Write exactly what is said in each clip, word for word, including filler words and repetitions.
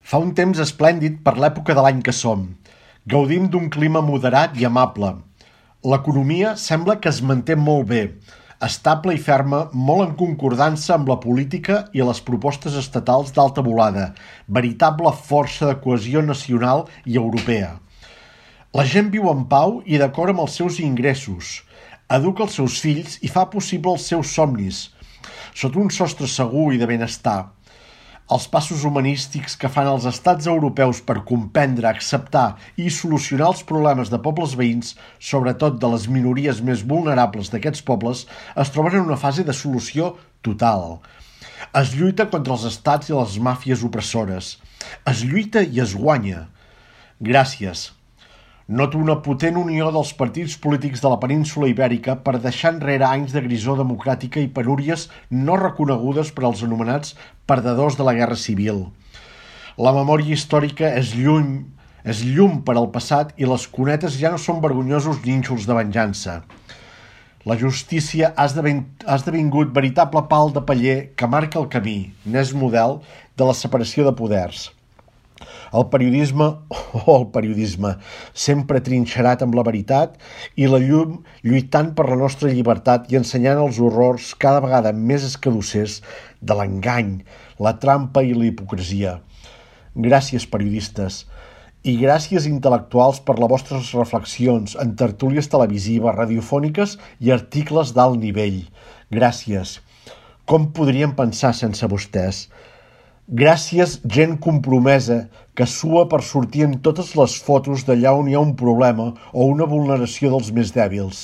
Fa un temps esplèndid per l'època de l'any que som. Gaudim d'un clima moderat i amable. L'economia sembla que es manté molt bé, estable i ferma, molt en concordança amb la política i les propostes estatals d'alta volada, veritable força de cohesió nacional i europea. La gent viu en pau i d'acord amb els seus ingressos, educa els seus fills i fa possible els seus somnis, sota un sostre segur i de benestar. Els passos humanístics que fan els estats europeus per comprendre, acceptar i solucionar els problemes de pobles veïns, sobretot de les minories més vulnerables d'aquests pobles, es troben en una fase de solució total. Es lluita contra els estats i les màfies opressores. Es lluita i es guanya. Gràcies. Noto una potent unió dels partits polítics de la península ibèrica per deixar enrere anys de grisor democràtica i penúries no reconegudes per als anomenats perdedors de la guerra civil. La memòria històrica és lluny, és llum per al passat i les cunetes ja no són vergonyosos nínxols de venjança. La justícia ha esdevingut veritable pal de paller que marca el camí, n'és model, de la separació de poders. El periodisme, oh, el periodisme, sempre trinxerat amb la veritat i la llum lluitant per la nostra llibertat i ensenyant els horrors cada vegada més escadussers de l'engany, la trampa i la hipocresia. Gràcies, periodistes, i gràcies intel·lectuals per les vostres reflexions en tertúlies televisives, radiofòniques i articles d'alt nivell. Gràcies. Com podríem pensar sense vostès? Gràcies, gent compromesa, que sua per sortir en totes les fotos d'allà on hi ha un problema o una vulneració dels més dèbils.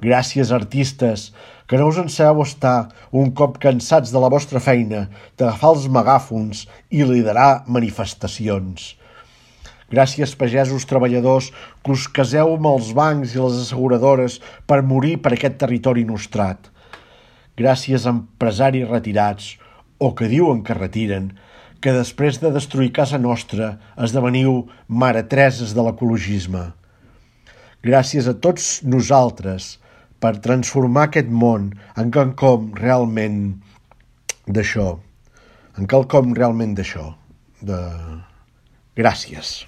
Gràcies, artistes, que no us en sabeu estar, un cop cansats de la vostra feina, d'agafar els megàfons i liderar manifestacions. Gràcies, pagesos treballadors, que us caseu amb els bancs i les asseguradores per morir per aquest territori nostrat. Gràcies, empresaris retirats, o que diuen que retiren, que després de destruir casa nostra esdeveniu maretreses de l'ecologisme. Gràcies a tots nosaltres per transformar aquest món en quelcom realment d'això, en quelcom realment d'això. De... Gràcies.